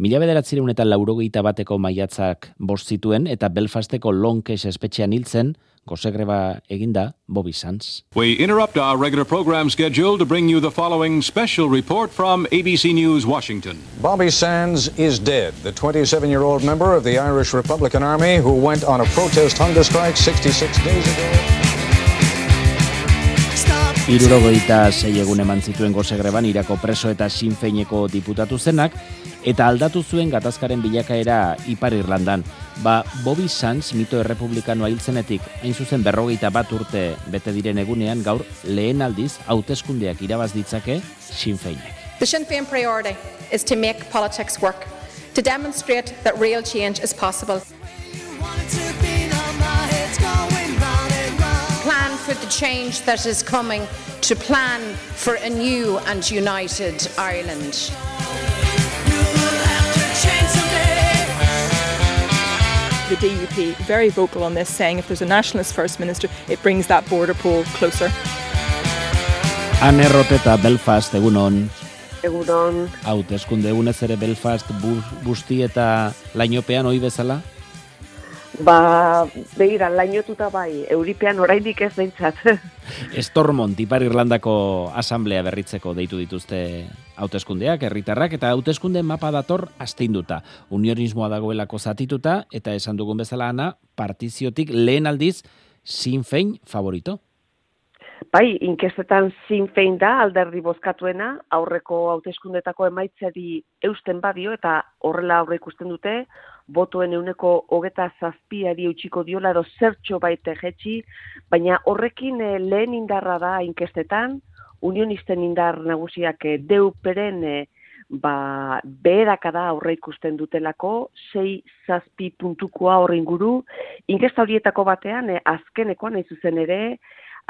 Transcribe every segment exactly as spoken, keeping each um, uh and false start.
Mila bederatzireun eta laurogeita bateko maiatzak bost zituen eta Belfasteko Longcash espetxean hiltzen, gozegreba eginda Bobby Sands. We interrupt our regular program schedule to bring you the following special report from A B C News, Washington. Bobby Sands is dead, the twenty-seven-year-old member of the Irish Republican Army who went on a protest hunger strike sixty-six days ago. Hirurogeita sei egun eman zituen gozegreban Irako preso eta Sinn Féineko diputatu zenak, eta aldatu zuen gatazkaren bilakaera Ipar Irlandan. Ba, Bobby Sands mito errepublikanoa hiltzenetik, hain zuzen berrogeita bat urte bete diren egunean gaur lehen aldiz hauteskundeak irabaz ditzake Sinn Féinek. The Sinn Féin priority is to make politics work, to demonstrate that real change is possible. Plan for the change that is coming, to plan for a new and united Ireland. The D U P very vocal on this, saying if there's a nationalist first minister, it brings that border poll closer. Anne Roteta, Belfast, egunon. Egunon. Hauteskunde egunez ere Belfast bu, busti eta lainopean oi bezala? Ba, begira, lainotuta bai, Euripean oraindik ez behintzat. Stormont, Ipar Irlandako asamblea berritzeko deitu dituzte hauteskundeak, herritarrak, eta hauteskunde mapa dator asteinduta. Unionismoa dagoelako zatituta, eta esan dugun bezala Ana, partiziotik lehen aldiz Sinn Féin favorito. Bai, inkestetan Sinn Féin da alderdi bozkatuena, aurreko hauteskundetako emaitzari eusten badio, eta horrela aurre ikusten dute, botoen euneko hogeta zazpiari eutxiko diola edo zertxo baite jetxi, baina horrekin eh, lehen indarra da inkestetan, unionisten indar nagusiak eh, deuperen eh, ba, beherakada aurre ikusten dutelako, sei zazpi puntukoa horre inguru, inkesta horietako batean, eh, azkenekoan ez zuzen ere,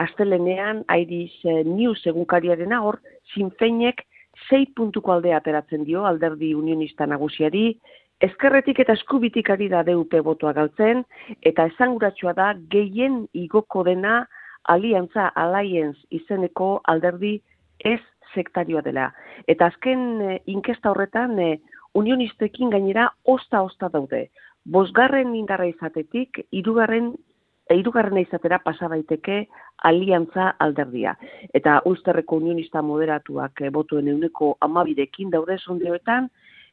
astelenean Irish eh, News egunkariarena hor, Sinn Féinek sei puntuko aldea ateratzen dio alderdi unionista nagusiari, ezkerretik eta eskubitik ari da D U P botoa galtzen, eta esanguratsua da gehien igoko dena Aliantza Alliance izeneko alderdi ez sektarioa dela. Eta azken eh, inkesta horretan eh, unionistekin gainera osta-osta daude. Bosgarren indarra izatetik, hirugarren hirugarrena izatera pasa daiteke Aliantza alderdia. Eta Ulsterreko unionista moderatuak eh, botuen euneko hamabirekin daude sondioetan,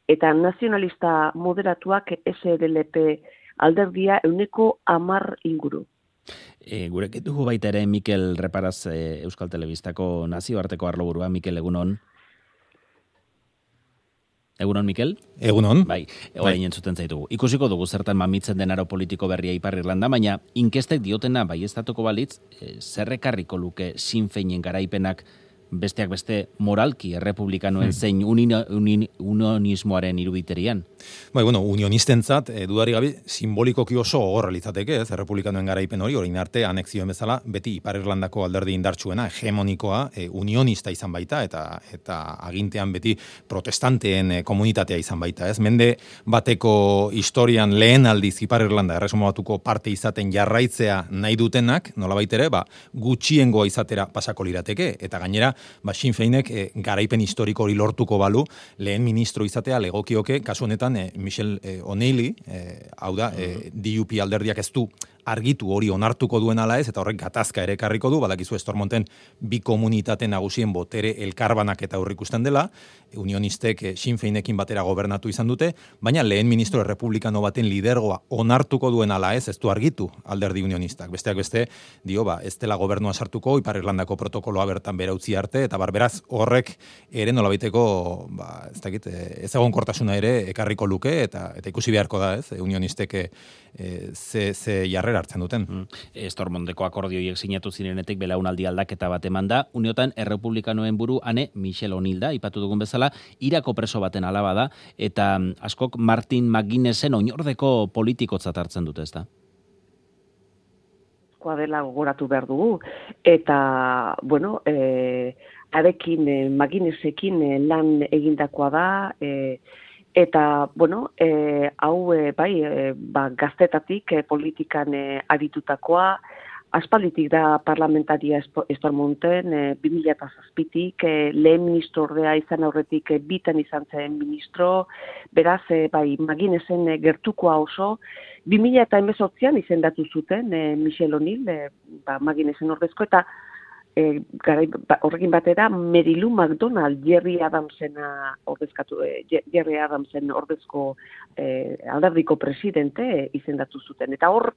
eta nazionalista moderatuak S R L P alderdia euneko hamar inguru. E, gurekin dugu baita ere Mikel Reparaz e, Euskal Telebistako nazioarteko arloburua. Mikel, egunon. Egunon, Mikel? Egunon. Bai, orain entzuten zaitugu. Ikusiko dugu zertan mamitzen den aro politiko berria Ipar Irlanda, baina inkestek diotena baieztatuko balitz, e, zerrekarriko luke Sinn Féinen garaipenak besteak beste moralki errepublikanoen hmm. zein unin, unin, unionismoaren iruditerian. Bai, bueno, unionistentzat, e, dudari gabe, simbolikoki oso gogorra litzateke, ez, errepublikanoen garaipen hori, orain arte anexioen bezala, beti Ipar Irlandako alderdi indartsuena, hegemonikoa, e, unionista izan baita, eta eta agintean beti protestanteen e, komunitatea izan baita, ez. Mende bateko historian lehen aldiz Ipar Irlanda erresuma batuko parte izaten jarraitzea nahi dutenak, nolabait ere, ba, gutxiengoa izatera pasako lirateke, eta gainera, ba, Sinn Féinek e, garaipen historiko hori lortuko balu, lehen ministro izatea legokioke, kasu honetan e, Michel e, O'Neilly, e, hau da, e, D U P alderdiak ez du argitu hori onartuko duen ala ez, eta horrek gatazka ere ekarriko du, badakizu Stormonten bi komunitate nagusien botere elkarbanak eta aurrikusten dela, unionistek e, Sinn Féinekin batera gobernatu izan dute, baina lehen ministro errepublikano baten lidergoa onartuko duen ala ez, ez du argitu alderdi unionistak. Besteak beste, dio, ba, ez dela gobernua sartuko, Ipar Irlandako protokoloa bertan bera utzi arte, eta barberaz horrek ere nolabaiteko, ba, ez dakit, ez egonkortasuna ere ekarriko luke, eta eta ikusi beharko da, ez, unionistek e, ze, ze jarrera hartzen duten. Mm. Stormonteko akordioiek sinatu zirenetik belaunaldi aldaketa bat eman da, uniotan errepublikanoen buru ane Michel O'Neill da, ipatu dugun bezala, Irako preso baten alaba da, eta askok Martin McGuinnesen oinordeko politikotzat hartzen dute, ez da? Dela gogoratu behar dugu, eta, bueno, e, arekin, e, McGuinnesekin e, lan egindakoa da, e, eta, bueno, e, hau, e, bai, e, ba, gaztetatik e, politikan e, aritutakoa, aspalditik da parlamentaria Esparmonten, e, bi mila zazpitik, e, lehen ministrordea izan aurretik e, bitan izan zen ministro, beraz, e, bai, Maginesen e, gertukoa oso, bi mila hemezortzian izendatu zuten e, Michel O'Neill, e, ba, Maginesen ordezko, eta e, garai, ba, horrekin batera Mary Lou McDonald, Jerry Adamsena ordezkatu, e, Jerry Adamsen ordezko e, alderdiko presidente e, izendatu zuten. Eta hor,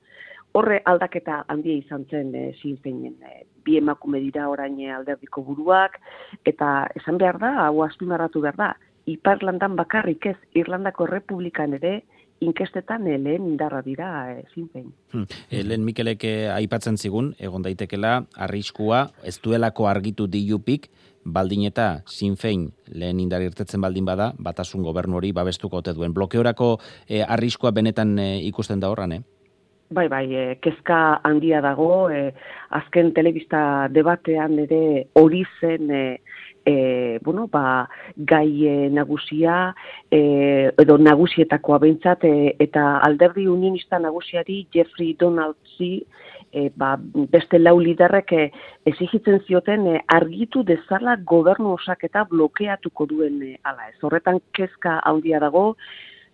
horre aldaketa handia izan zen e, Sinn Féinen. E, bi emakume dira orain alderdiko buruak, eta esan behar da, hau azpimarratu behar da, Ipar Irlandan bakarrik ez, Irlandako Errepublikan ere, inkestetan lehen indarra dira e, Sinn Féin. Hmm. E, lehen Mikelek aipatzen zigun, egon daitekela, arriskua, ez duelako argitu D U Pik, baldin eta Sinn Féin lehen indar irtetzen baldin bada, batasun gobernu hori babestuko ote duen. Blokeorako e, arriskua benetan e, ikusten da horran, eh? Bai, bai, e, kezka handia dago, e, azken telebista debatean ere hori zen e, E, bueno, ba, gai e, nagusia, e, edo nagusietakoa behintzat, e, eta alderdi unionista nagusiari Jeffrey Donaldsi, e, ba, beste lau liderrek e, exigitzen zioten e, argitu dezala gobernu osaketa blokeatuko duen e, ala ez. Horretan kezka handia dago,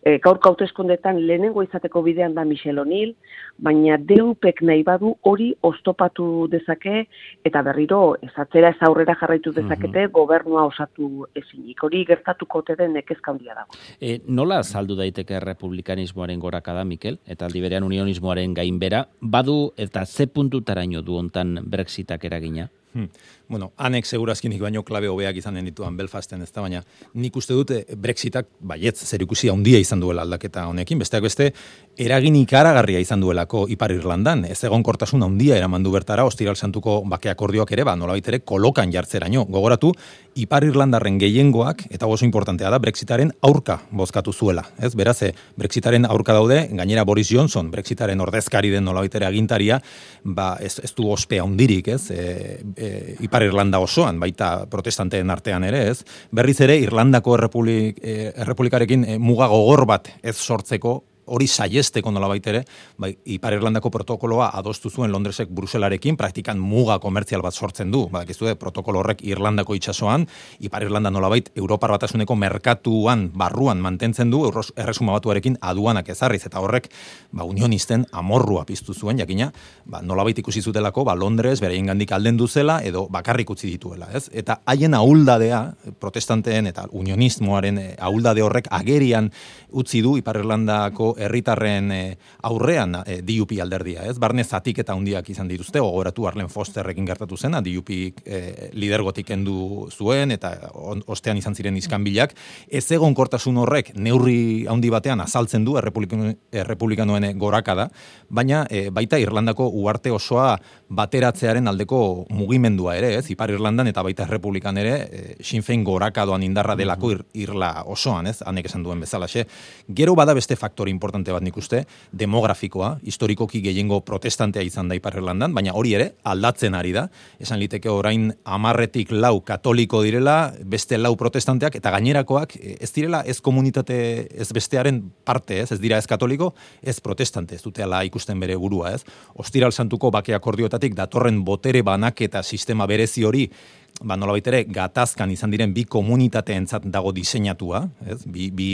e, gaurko hauteskundeetan lehenengo izateko bidean da Michel O'Neill, baina D U Pek nahi badu hori oztopatu dezake, eta berriro ez atzera ez aurrera jarraitu dezakete mm-hmm. gobernua osatu ezinik. Hori gertatuko ote den kezka handia dago. E, nola azaldu daiteke republikanismoaren gorakada, Mikel, eta aldi berean unionismoaren gainbera, badu eta ze puntutaraino du hontan Brexitak eragina? Hmm. Bueno, anek segurazkinik baino klabe hobeak izanen dituan Belfasten, ez da, baina nik uste dute Brexitak baietz zerikusi handia izan duela aldaketa honekin, besteak beste eragin ikaragarria izan duelako Ipar Irlandan, ez egonkortasun handia eraman du bertara Ostiral Santuko bake akordioak ere, ba, nolabait ere kolokan jartzeraino. Gogoratu, Ipar Irlandarren gehiengoak, eta oso importantea da, Brexitaren aurka bozkatu zuela, ez? Beraz, Brexitaren aurka daude, gainera Boris Johnson, Brexitaren ordezkari den nolabait ere agintaria, ba, ez, ez du ospe handirik, ez? E, e, Ipar Irlanda osoan, baita protestanteen artean ere, ez? Berriz ere, Irlandako errepublik, eh, errepublikarekin eh, muga gogor bat ez sortzeko, hori saiesteko nolabait ere, bai, Ipar Irlandako protokoloa adostu zuen Londresek Bruselarekin, praktikan muga komertzial bat sortzen du. Badakizu, protokolo horrek Irlandako itsasoan, Ipar Irlanda nolabait Europar Batasuneko merkatuan barruan mantentzen du, Erresuma Batuarekin aduanak ezarriz, eta horrek ba, unionisten amorrua piztu zuen, jakina, ba, nolabait ikusi zutelako, ba, Londres bereiengandik aldendu zela edo bakarrik utzi dituela, ez? Eta haien ahuldadea, protestanteen eta unionismoaren ahuldade horrek agerian utzi du Ipar Irlandako herritarren e, aurrean e, D U P alderdia, ez? Barne zatik eta hundiak izan dituzte, gogoratu Arlen Fosterrekin gertatu zena, D U P e, lidergotik kendu zuen, eta on, ostean izan ziren iskanbilak. Ez egonkortasun horrek neurri handi batean azaltzen du errepublikanoen gorakada, baina e, baita Irlandako uarte osoa bateratzearen aldeko mugimendua ere, ez? Ipar Irlandan eta baita errepublikan ere, e, Sinn Féin gorakadoan indarra delako ir, irla osoan, ez? Hanek esan duen bezalaxe. Gero bada beste faktor importante bat nik uste, demografikoa, historikoki gehiengo protestantea izan da Ipar Irlandan, baina hori ere aldatzen ari da. Esan liteke orain hamarretik lau katoliko direla, beste lau protestanteak, eta gainerakoak ez direla ez komunitate ez bestearen parte, ez, ez dira ez katoliko, ez protestante, ez dute ala ikusten bere burua, ez. Ostiral Santuko bake akordioetatik datorren botere banaketa sistema berezi hori, ba, nolabait ere, gatazkan izan diren bi komunitateentzat dago diseinatua, ez? Bi, bi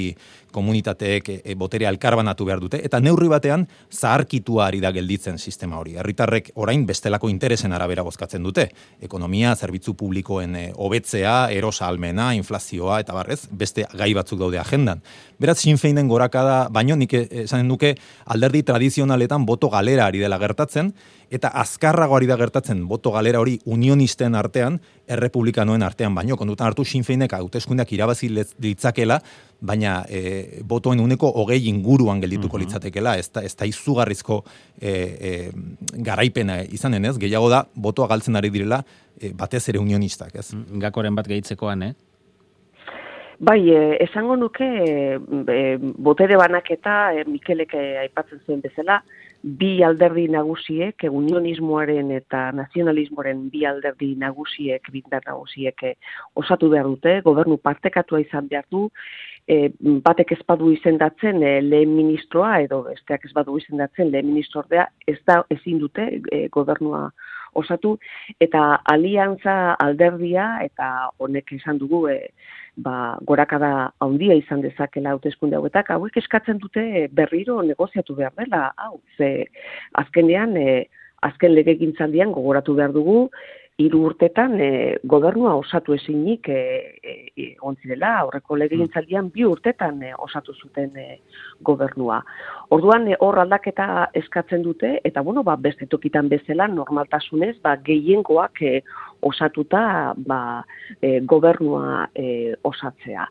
komunitateek e, e, boterea elkarbanatu behar dute, eta neurri batean zaharkitua ari da gelditzen sistema hori. Herritarrek orain bestelako interesen arabera bozkatzen dute. Ekonomia, zerbitzu publikoen e, hobetzea, erosa almena, inflazioa, eta barrez, beste gai batzuk daude agendan. Beraz, Sinn Féinen gorakada, baino nik esanen duke alderdi tradizionaletan boto galera ari dela gertatzen, eta azkarrago ari da gertatzen boto galera hori unionisten artean, errepublikanoen artean baino. Kondutan hartu Sinn Féinek hauteskundeak irabazi litzakela, baina e, botoen uneko hogei inguruan geldituko uh-huh. litzatekela, ez da, ez da izugarrizko e, e, garaipena izanen, ez? Gehiago da, botoa galtzen ari direla, e, batez ere unionistak, ez? Gakoren bat gehitzekoan, eh? Bai, eh, esango nuke eh, botere banaketa eh, Mikelek eh, aipatzen zuen bezala, bi alderdi nagusiek, unionismoaren eta nazionalismoaren bi alderdi nagusiek, bindar nagusiek osatu behar dute, gobernu partekatua izan behar du, e, batek ez badu izendatzen e, lehen ministroa, edo besteak ez badu izendatzen lehen ministordea, ez da ezin dute e, gobernua osatu, eta aliantza alderdia, eta honek esan dugu, e, ba, gorakada handia izan dezakela hauteskunde hauetak, hauek eskatzen dute berriro negoziatu behar dela, hau, ze azkenean, e, azken legegintzaldian gogoratu behar dugu, hiru urtetan e, gobernua osatu ezinik e, e, ontzirela, aurreko legegintzaldian bi urtetan e, osatu zuten e, gobernua. Orduan e, hor aldaketa eskatzen dute, eta bueno, ba, beste tokitan bezala normaltasunez, ba, gehiengoak e, osatuta ba, e, gobernua e, osatzea.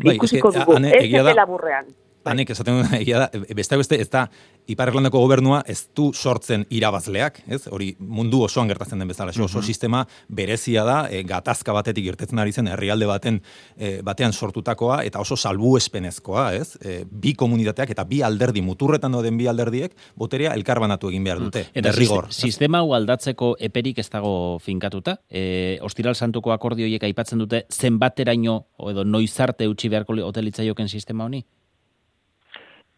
Bai, Ikusiko eske, dugu, ane, ez egia da- dela burrean. Hanek esaten duen egia da, beste beste ez da Ipar Irlandako gobernua ez du sortzen irabazleak, ez? Hori mundu osoan gertatzen den bezala, oso Mhm. sistema berezia da, e, gatazka batetik irtetzen ari zen herrialde baten e, batean sortutakoa eta oso salbuespenezkoa, ez? E, bi komunitateak eta bi alderdi muturretan dauden bi alderdiek boterea elkarbanatu egin behar dute. Eta derrigor. siste- sistema hau aldatzeko eperik ez dago finkatuta. E, Ostiral Santuko akordioiek aipatzen dute zenbateraino edo noizarte utzi beharko hotelitzaioken sistema honi?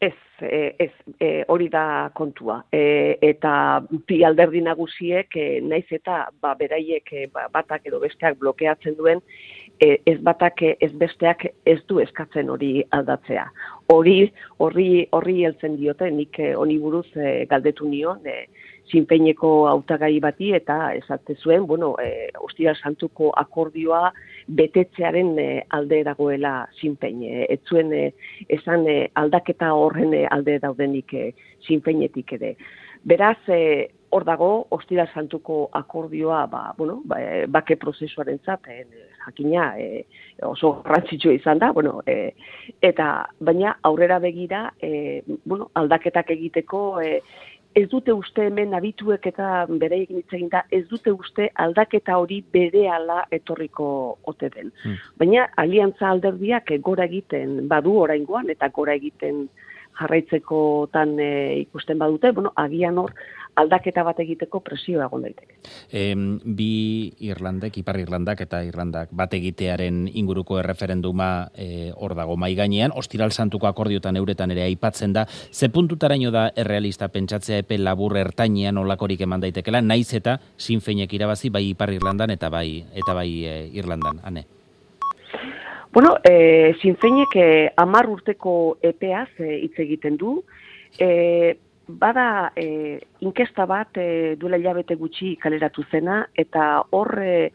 Ez, eh, ez, eh, hori da kontua. E, eta bi alderdi nagusiek, eh, naiz eta ba, beraiek eh, ba, batak edo besteak blokeatzen duen, eh, ez batak eh, ez besteak ez du eskatzen hori aldatzea. Hori horri horri heltzen diote, nik eh, honi buruz eh, galdetu nion, eh, Sinpeineko hautagai bati eta esate zuen, bueno, e, Ostiral Santuko akordioa betetzearen e, alde dagoela Sinpein. E, ez zuen e, esan e, aldaketa horren e, alde daudenik e, Sinpeinetik ere. Beraz, e, hor dago Ostiral Santuko akordioa, ba, bueno, ba, e, bake prozesuarentzat e, jakina e, oso garrantzitsua izan da, bueno, e, eta baina aurrera begira, e, bueno, aldaketak egiteko e, ez dute uste hemen abituek eta bereikin hitz eginda, ez dute uste aldaketa hori berehala etorriko ote den. Hmm. Baina aliantza alderdiak gora egiten badu oraingoan eta gora egiten jarraitzekotan e, ikusten badute, bueno, agian hor aldaketa bat egiteko presioa egon daiteke. E, bi Irlandek, Ipar Irlandak eta Irlandak bat egitearen inguruko erreferenduma e, hor dago mai gainean, Ostiral Santuko akordiotan euretan ere aipatzen da, ze puntutaraino da errealista pentsatzea epe labur ertainean olakorik eman daitekela, naiz eta Sinfeinek irabazi bai Ipar Irlandan eta bai eta bai e, Irlandan, ane. Bueno, e, Sinfeinek e, hamar urteko epeaz e, hitz egiten du, e, bada e, inkesta bat e, duela hilabete gutxi kaleratu zena, eta hor e,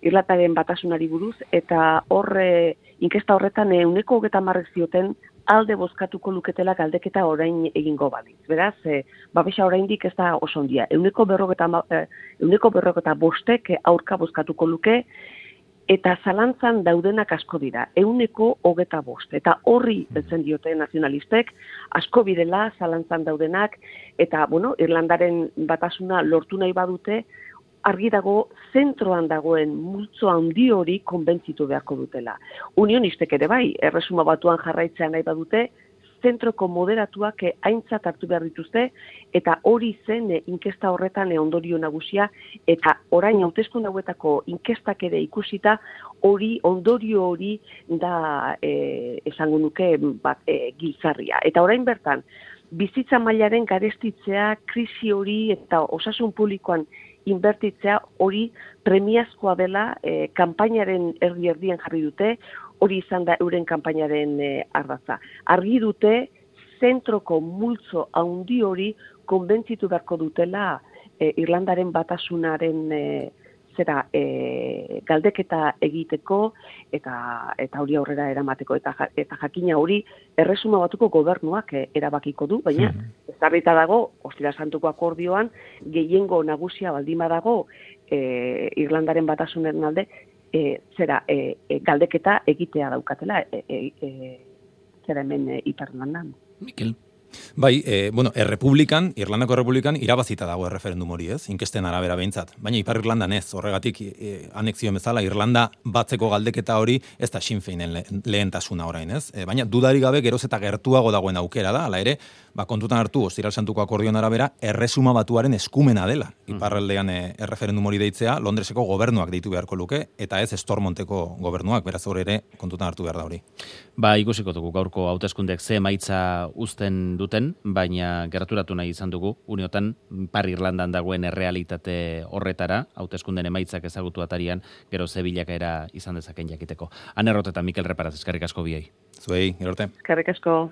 Irlandaren batasunari buruz, eta hor e, inkesta horretan ehuneko hogeita hamarrek zioten alde bozkatuko luketela galdeketa orain egingo balitz. Beraz, e, babesa oraindik ez da oso ondia. Ehuneko berrogeta e, ehuneko berrogeta bostek aurka bozkatuko luke, eta zalantzan daudenak asko dira, ehuneko hogeta bost. Eta horri beltzen diote nazionalistek, asko birela zalantzan daudenak, eta, bueno, Irlandaren batasuna lortu nahi badute, argi dago zentroan dagoen multzo handi hori konbentzitu beharko dutela. Unionistek ere bai, erresuma batuan jarraitzea nahi badute, zentroko moderatuak aintzat hartu behar dituzte, eta hori zen e, inkesta horretan e, ondorio nagusia, eta orain hauteskunde hauetako inkestak ere ikusita, hori ondorio hori da e, esango nuke bat, e, giltzarria. Eta orain bertan, bizitza mailaren garestitzea, krisi hori eta osasun publikoan inbertitzea hori premiazkoa dela e, kanpainaren erdi-erdian jarri dute, hori izan da euren kanpainaren e, ardatza. Argi dute, zentroko multzo handi hori konbentzitu beharko dutela e, Irlandaren batasunaren e, zera e, galdeketa egiteko eta eta hori aurrera eramateko eta eta jakina hori erresuma batuko gobernuak e, erabakiko du, baina ezarrita dago Ostiral Santuko akordioan gehiengo nagusia baldin badago e, Irlandaren batasunaren alde e, zera e, e, galdeketa egitea daukatela e, e, e, zera hemen e, Ipar Irlandan. Mikel. Bai, e, bueno, Errepublikan, Irlandako Errepublikan irabazita dago erreferendum hori, ez? Inkesten arabera behintzat. Baina Ipar Irlandan ez, horregatik e, anexio bezala Irlanda batzeko galdeketa hori ez da Sinn Féinen le, lehentasuna orain, ez? E, baina dudarik gabe geroz eta gertuago dagoen aukera da, hala ere, ba, kontutan hartu Ostiral Santuko akordion arabera erresuma batuaren eskumena dela. Iparraldean e, erreferendum hori deitzea Londreseko gobernuak deitu beharko luke, eta ez Stormonteko gobernuak, beraz hor ere kontutan hartu behar da hori. Ba, ikusiko dugu gaurko hauteskundeek ze emaitza uzten duten, baina gerturatu nahi izan dugu, uniotan Ipar Irlandan dagoen errealitate horretara, hauteskunden emaitzak ezagutu atarian, gero ze bilakaera izan dezaken jakiteko. Anerrot eta Mikel Reparaz, eskerrik asko biei. Zuei, gero arte. Eskerrik asko.